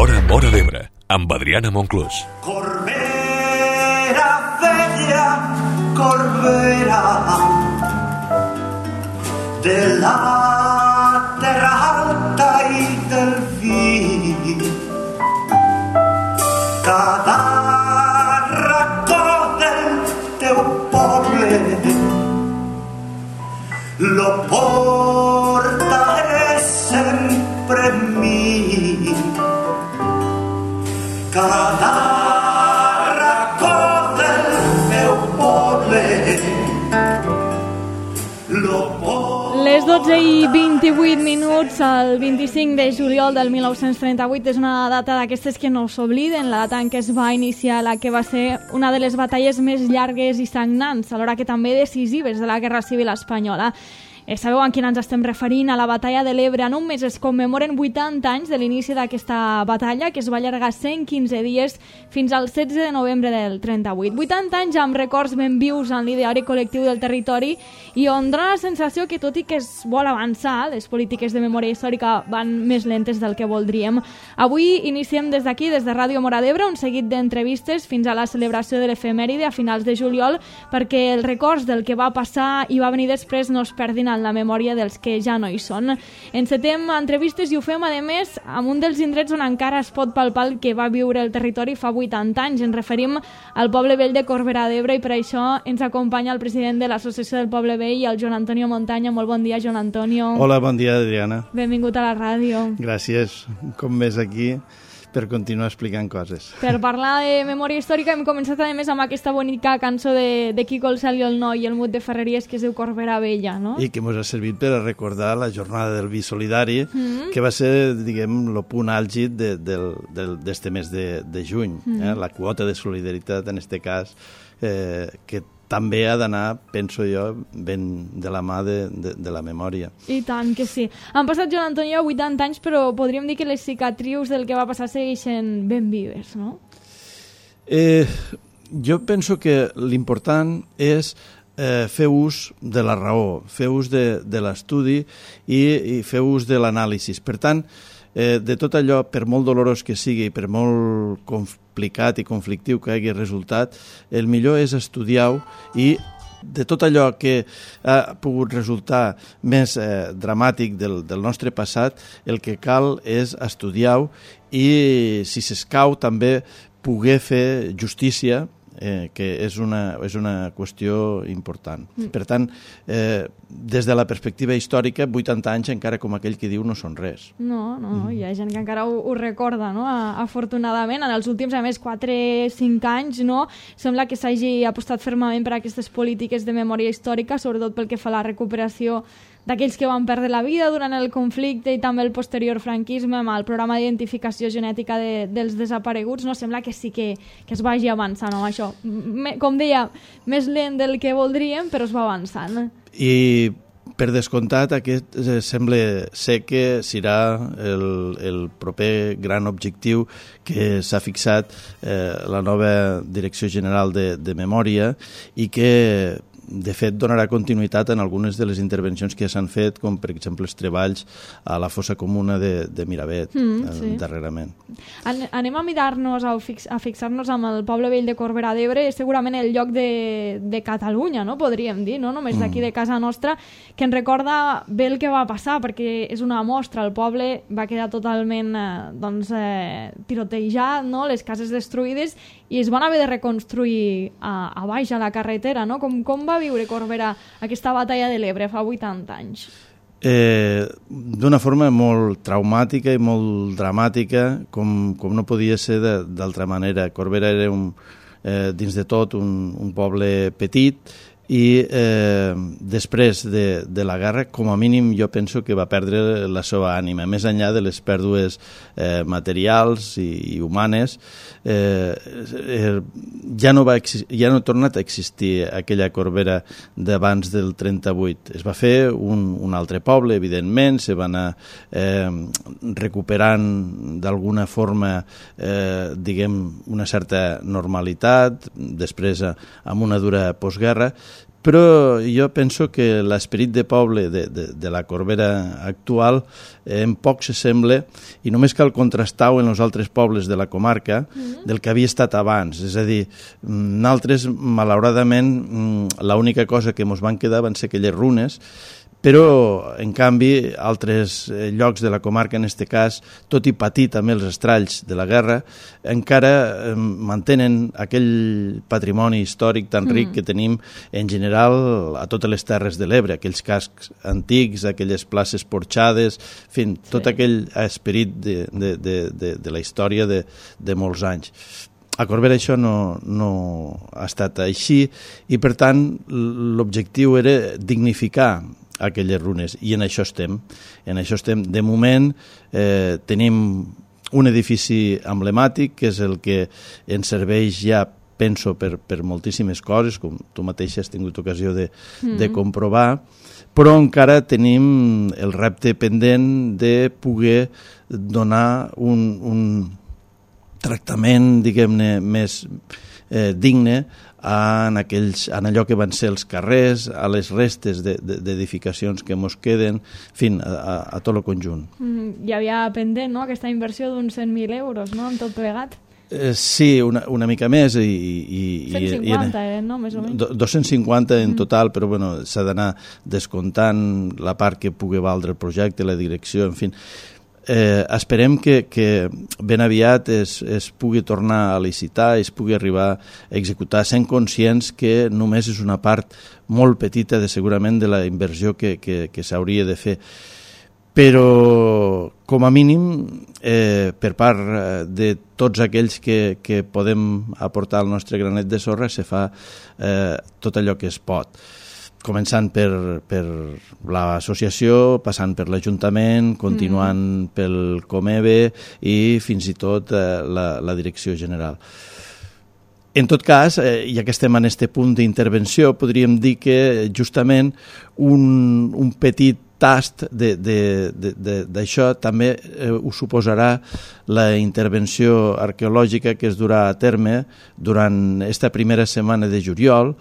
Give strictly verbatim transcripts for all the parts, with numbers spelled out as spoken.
L'Hora Móra d'Ebre, amb Adriana Monclús. Corbera vella, Corbera, de la terra alta i del vi, cada racó del teu poble lo portaré sempre en mi. Cada racó del meu poble lo portaré. Les dotze i vint-i-vuit minuts, el vint-i-cinc de juliol del mil nou-cents trenta-vuit, és una data d'aquestes que no s'obliden, la data en què es va iniciar la que va ser una de les batalles més llargues i sagnants, alhora que també decisives de la Guerra Civil Espanyola. Eh, sabeu a quina ens estem referint? A la batalla de l'Ebre. En un mes es commemoren vuitanta anys de l'inici d'aquesta batalla, que es va allargar cent quinze dies fins al setze de novembre del trenta-vuit. vuitanta anys amb records ben vius en l'ideari col·lectiu del territori i on dona la sensació que, tot i que es vol avançar, les polítiques de memòria històrica van més lentes del que voldríem. Avui iniciem des d'aquí, des de Ràdio Móra d'Ebre, un seguit d'entrevistes fins a la celebració de l'efemèride a finals de juliol, perquè els records del que va passar i va venir després no es perdin en la memòria dels que ja no hi són. Encetem entrevistes i ho fem, a més, amb un dels indrets on encara es pot palpar el que va viure el territori fa vuitanta anys. Ens referim al poble vell de Corbera d'Ebre i per això ens acompanya el president de l'Associació del Poble Vell, el Joan Antonio Montaña. Molt bon dia, Joan Antonio. Hola, bon dia, Adriana. Benvingut a la ràdio. Gràcies. Com més aquí per continuar explicant coses. Per parlar de memòria històrica hem començat a més amb aquesta bonica cançó de, de Quico el Cel i el Noi i el Mut de Ferreries, que es diu Corbera Vella, no? I que ens ha servit per a recordar la jornada del vi solidari, mm-hmm. que va ser, diguem, el punt àlgid de, del, del, d'este mes de, de juny. Mm-hmm. eh? La quota de solidaritat, en este cas, eh, que també ha d'anar, penso jo, ben de la mà de, de, de la memòria. I tant que sí. Han passat, Joan Antonio, vuitanta anys, però podríem dir que les cicatrius del que va passar segueixen ben vives, no? Eh, jo penso que l'important és eh, fer ús de la raó, fer ús de, de l'estudi i, i fer ús de l'anàlisi. Per tant, eh, de tot allò, per molt dolorós que sigui, per molt complicat i conflictiu que hagi resultat, el millor és estudiar-ho i de tot allò que ha pogut resultar més eh, dramàtic del, del nostre passat, el que cal és estudiar-ho i, si s'escau, també poder fer justícia, eh, que és una, és una qüestió important. Mm. Per tant, eh, des de la perspectiva històrica, vuitanta anys encara, com aquell que diu, no són res. No, no, mm. hi ha gent que encara ho, ho recorda, no? Afortunadament, en els últims, a més, quatre cinc anys, no? Sembla que s'hagi apostat fermament per aquestes polítiques de memòria històrica, sobretot pel que fa a la recuperació d'aquells que van perdre la vida durant el conflicte i també el posterior franquisme, amb el programa d'identificació genètica de, dels desapareguts. No? Sembla que sí que, que es vagi avançant amb això. Me, com deia, més lent del que voldríem, però es va avançant. I per descomptat, aquest eh, sembla ser que serà el, el proper gran objectiu que s'ha fixat eh, la nova Direcció General de, de Memòria i que, de fet, donarà continuïtat en algunes de les intervencions que ja s'han fet, com per exemple els treballs a la fossa comuna de, de Miravet, mm, sí. darrerament. An anem a mirar-nos, a, fix a fixar-nos amb el poble vell de Corbera d'Ebre, és segurament el lloc de, de Catalunya, no? Podríem dir, no només d'aquí mm. de casa nostra, que ens recorda bé el que va passar, perquè és una mostra. El poble va quedar totalment eh, doncs, eh, tirotejat, no? Les cases destruïdes, i es van haver de reconstruir a, a baix, a la carretera, no? Com, com va viure Corbera aquesta batalla de l'Ebre fa vuitanta anys? Eh, d'una forma molt traumàtica i molt dramàtica, com, com no podia ser d'altra manera. Corbera era, un, eh, dins de tot, un, un poble petit, i eh, després de, de la guerra, com a mínim, jo penso que va perdre la seva ànima, més enllà de les pèrdues eh, materials i, i humanes. Eh, eh, ja, no va ja no ha tornat a existir aquella Corbera d'abans del trenta-vuit. Es va fer un, un altre poble, evidentment, se va anar eh, recuperant d'alguna forma, eh, diguem, una certa normalitat, després amb una dura postguerra, però jo penso que l'esperit de poble de, de, de la Corbera actual eh, en poc s'assembla, i només cal contrastar-ho en els altres pobles de la comarca mm-hmm. del que havia estat abans. És a dir, nosaltres, malauradament, l'única cosa que ens van quedar van ser aquelles runes, però, en canvi, altres llocs de la comarca, en aquest cas, tot i patir també els estralls de la guerra, encara eh, mantenen aquell patrimoni històric tan ric mm. que tenim, en general, a totes les terres de l'Ebre, aquells cascs antics, aquelles places porxades, en fi, sí. tot aquell esperit de, de, de, de, de la història de, de molts anys. A Corbera això no, no ha estat així, i, per tant, l'objectiu era dignificar aquelles runes, i en això estem. En això estem. De moment eh, tenim un edifici emblemàtic, que és el que ens serveix ja, penso, per, per moltíssimes coses, com tu mateixa has tingut ocasió de, mm-hmm. de comprovar, però encara tenim el repte pendent de poder donar un, un tractament, diguem-ne, més eh, digne en, aquells, en allò que van ser els carrers, a les restes d'edificacions de, de, que mos queden, en fi, a, a, a tot el conjunt. Mm, hi havia pendent, no?, aquesta inversió d'uns cent mil euros, no?, en tot plegat. Eh, sí, una, una mica més. I, i, cent cinquanta, i, eh, no?, més o menys. dos-cents cinquanta en total, però bueno, s'ha d'anar descomptant la part que pugui valdre el projecte, la direcció, en fi. Eh, esperem que, que ben aviat es, es pugui tornar a licitar, es pugui arribar a executar, sent conscients que només és una part molt petita de, segurament, de la inversió que, que, que s'hauria de fer. Però, com a mínim, eh, per part de tots aquells que, que podem aportar el nostre granet de sorra, se fa eh, tot allò que es pot. Començant per, per l'associació, passant per l'Ajuntament, continuant mm. pel Comebe i fins i tot eh, la, la direcció general. En tot cas, eh, ja que estem en aquest punt d'intervenció, podríem dir que justament un, un petit tast d'això també eh, ho suposarà la intervenció arqueològica que es durà a terme durant aquesta primera setmana de juliol,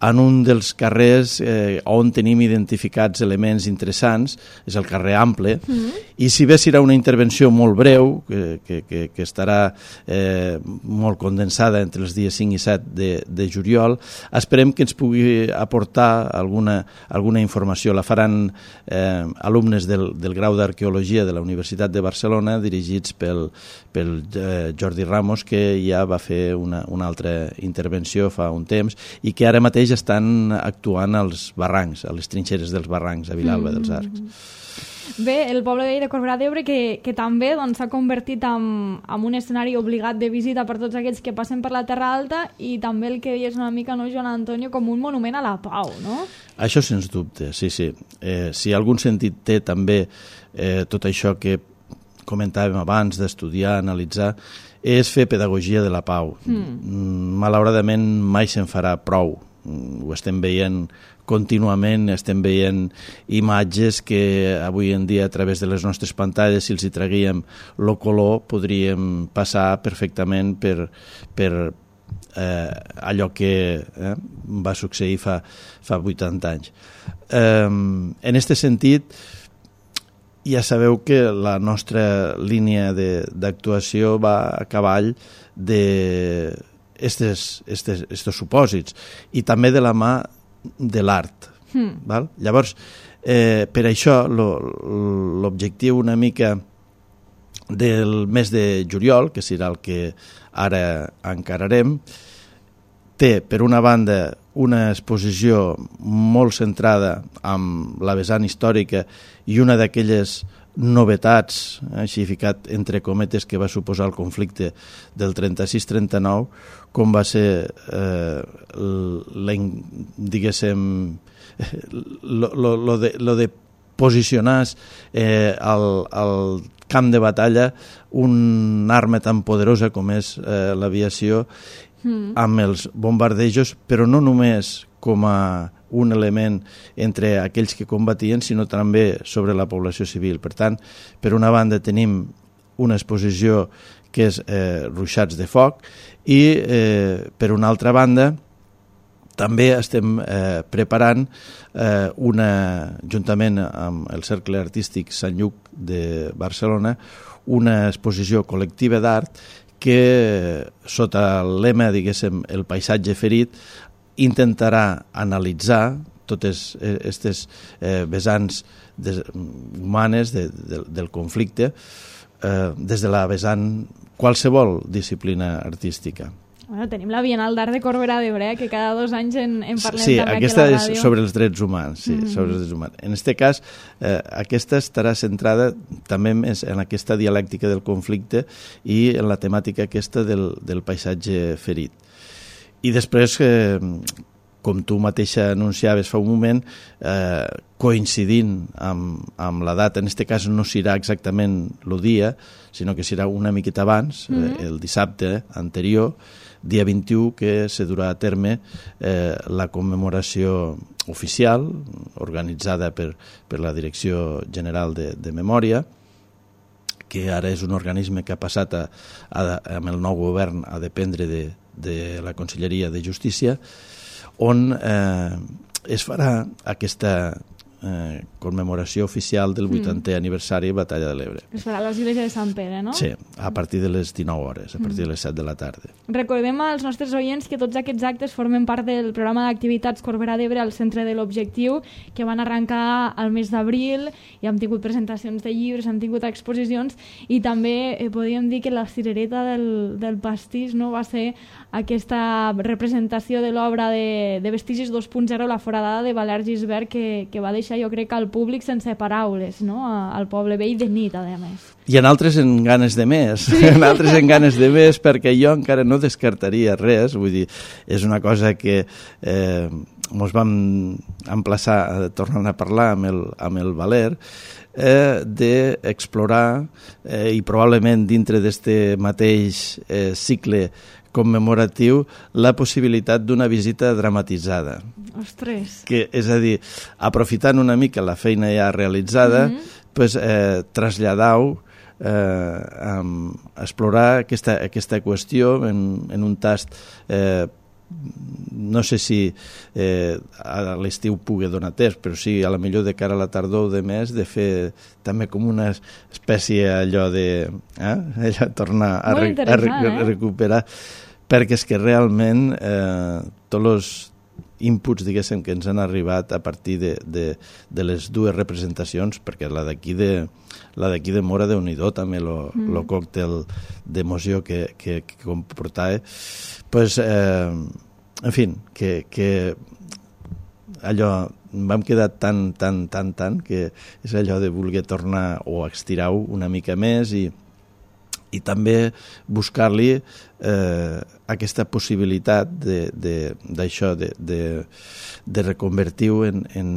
en un dels carrers eh, on tenim identificats elements interessants, és el carrer Ample, mm-hmm. i si bé serà una intervenció molt breu, que, que, que, que estarà eh, molt condensada entre els dies cinc i set de, de juliol, esperem que ens pugui aportar alguna, alguna informació. La faran eh, alumnes del, del grau d'Arqueologia de la Universitat de Barcelona, dirigits pel, pel eh, Jordi Ramos, que ja va fer una, una altra intervenció fa un temps, i que ara mateix estan actuant als barrancs, a les trinxeres dels barrancs a Vilalba mm-hmm. dels Arcs. Bé, el poble vell de Corbera d'Ebre que, que també s'ha doncs, convertit en, en un escenari obligat de visita per tots aquells que passen per la Terra Alta, i també el que deies una mica, no, Joan Antonio, com un monument a la pau, no? Això sens dubte, sí, sí. Eh, si algun sentit té també eh, tot això que comentàvem abans d'estudiar, analitzar, és fer pedagogia de la pau. Mm. Malauradament mai se'n farà prou. Ho estem veient contínuament, estem veient imatges que avui en dia a través de les nostres pantalles, si els hi traguíem el color, podríem passar perfectament per, per eh, allò que eh, va succeir fa, fa vuitanta anys. Eh, en aquest sentit, ja sabeu que la nostra línia d'actuació va a cavall de estes, estes, estes supòsits, i també de la mà de l'art. Mm. Val? Llavors, eh, per això l'objectiu una mica del mes de juliol, que serà el que ara encararem, té, per una banda, una exposició molt centrada en la vessant històrica i una d'aquelles novetats, així ficat entre cometes, que va suposar el conflicte del trenta-sis trenta-nou, com va ser, eh, la, diguéssim, lo, lo, lo, de, lo de posicionar eh, al, al camp de batalla un arma tan poderosa com és eh, l'aviació, mm. amb els bombardejos, però no només com a un element entre aquells que combatien, sinó també sobre la població civil. Per tant, per una banda tenim una exposició que és eh, ruixats de foc, i eh, per una altra banda també estem eh, preparant eh, una, juntament amb el Cercle Artístic Sant Lluc de Barcelona, una exposició col·lectiva d'art que, sota el lema, diguéssim, el paisatge ferit, intentarà analitzar totes aquestes eh, vessants de, humanes de, de, del conflicte eh, des de la vessant qualsevol disciplina artística. Bueno, tenim la Bienal d'Art de Corbera d'Ebre, que cada dos anys en, en parlem sí, també aquesta aquí a la ràdio. És sobre els drets humans, sí, mm-hmm. sobre els drets humans. En aquest cas, eh, aquesta estarà centrada també més en aquesta dialèctica del conflicte i en la temàtica aquesta del, del paisatge ferit. I després, eh, com tu mateixa anunciaves fa un moment, eh, coincidint amb, amb la data, en aquest cas no serà exactament el dia, sinó que serà una miqueta abans, mm-hmm. eh, el dissabte anterior, dia vint-i-u, que se durà a terme eh, la commemoració oficial, organitzada per, per la Direcció General de, de Memòria, que ara és un organisme que ha passat a, a, amb el nou govern a dependre de, de la Conselleria de Justícia, on eh, es farà aquesta eh, commemoració oficial del vuitantè mm. aniversari de Batalla de l'Ebre. Es farà a l'església de Sant Pere, no? Sí, a partir de les dinou hores, a partir mm. de les set de la tarda. Recordem als nostres oients que tots aquests actes formen part del programa d'activitats Corbera d'Ebre al centre de l'Objectiu, que van arrencar al mes d'abril i hem tingut presentacions de llibres, hem tingut exposicions i també eh, podríem dir que la cirereta del, del pastís, no, va ser aquesta representació de l'obra de, de Vestigis dos punt zero, la foradada de Valère Gisbert, que, que va deixar, jo crec, al públic sense paraules, no? Al poble vell de nit, a més. I en altres en ganes de més, sí. en altres en ganes de més, perquè jo encara no descartaria res, vull dir, és una cosa que eh, mos vam emplaçar a tornar a parlar amb el, amb el Valer, eh, d'explorar eh, i probablement dintre d'este mateix eh, cicle commemoratiu la possibilitat d'una visita dramatitzada. Ostres! Que, és a dir, aprofitant una mica la feina ja realitzada, mm-hmm. pues, eh, traslladar-ho, eh, um, explorar aquesta, aquesta qüestió en, en un tast eh, no sé si eh, a l'estiu pugui donar temps, però sí, a la millor de cara a la tardor de mes, de fer també com una espècie allò de eh, allò, tornar a, re, a, re, a recuperar, perquè és que realment eh, tots els inputs, diguéssim, que ens han arribat a partir de, de, de les dues representacions, perquè la d'aquí de la d'aquí de Mora, Déu-n'hi-do, també el mm. còctel d'emoció que, que, que comportava, pues, eh, en fi, que, que allò vam quedar tan, tan, tan, tan, que és allò de voler tornar o estirar-ho una mica més i, i també buscar-li eh, aquesta possibilitat d'això, de, de, de, de reconvertir-ho en, en,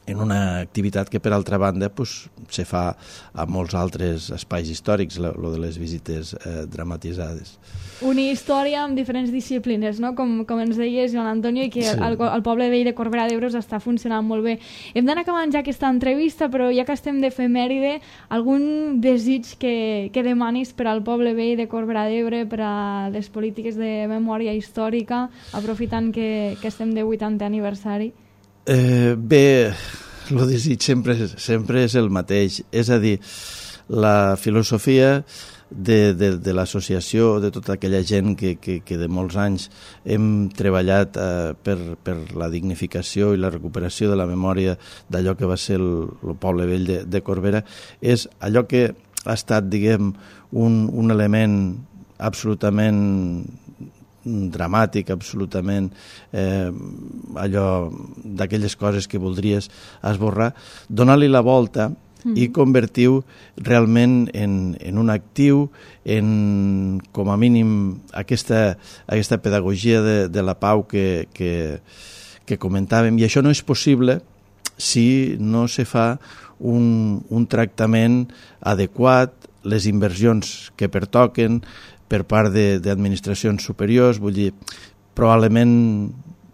en una activitat que, per altra banda, pues, se fa a molts altres espais històrics, lo de les visites eh, dramatitzades. Unir història amb diferents disciplines, no? Com, com ens deies, Joan Antonio, i que sí. el, el poble vell de Corbera d'Ebre està funcionant molt bé. Hem d'anar acabant ja aquesta entrevista, però ja que estem d'efemèride, algun desig que, que demanis per al poble vell de Corbera d'Ebre, per a les polítiques de memòria històrica, aprofitant que, que estem de vuitantè aniversari? Eh, bé, el desig sempre, sempre és el mateix. És a dir, la filosofia de, de, de l'associació, de tota aquella gent que, que, que de molts anys hem treballat eh, per, per la dignificació i la recuperació de la memòria d'allò que va ser el, el poble vell de, de Corbera, és allò que ha estat, diguem, un, un element absolutament dramàtic, absolutament eh, allò d'aquelles coses que voldries esborrar, donar-li la volta mm. i convertir-ho realment en, en un actiu, en, com a mínim, aquesta, aquesta pedagogia de, de la pau que, que, que comentàvem. I això no és possible si no se fa un, un tractament adequat, les inversions que pertoquen per part d'administracions superiors. Vull dir, probablement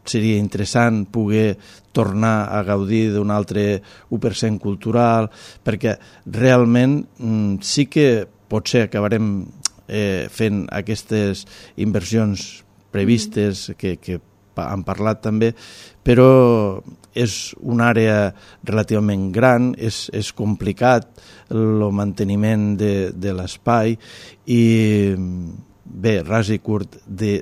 seria interessant poder tornar a gaudir d'un altre u per cent cultural, perquè realment mm, sí que potser acabarem eh, fent aquestes inversions previstes que, que han parlat també, però és una àrea relativament gran, és, és complicat el manteniment de, de l'espai i bé, ras i curt, de...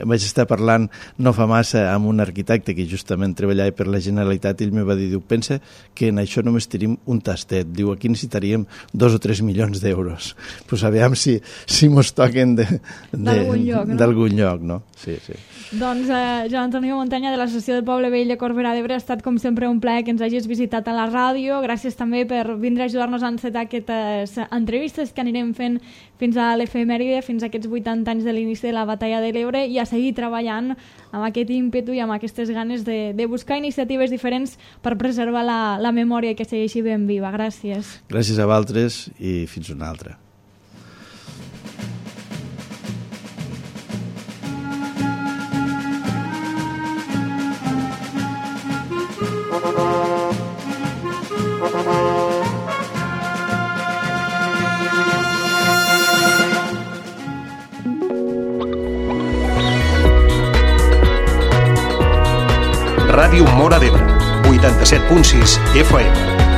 vaig estar parlant no fa massa amb un arquitecte que justament treballava per la Generalitat i ell me va dir, diu, pensa que en això només tenim un tastet, diu, aquí necessitaríem dos o tres milions d'euros. Doncs pues aviam si, si mos toquen d'algun lloc, no? D'algun lloc, no? Sí, sí. Doncs eh, Joan Antonio Montanya de l'Associació del Poble Vell de Corbera d'Ebre, ha estat com sempre un plaer que ens hagis visitat a la ràdio. Gràcies també per vindre a ajudar-nos a encetar aquestes entrevistes que anirem fent fins a l'efemèride, fins a aquests vuitanta anys de l'inici de la Batalla de l'Ebre, i a seguir treballant amb aquest ímpetu i amb aquestes ganes de, de buscar iniciatives diferents per preservar la, la memòria que segueixi ben viva. Gràcies. Gràcies a vosaltres i fins una altra. Ràdio Móra d'Ebre, vuitanta-set punt sis F M.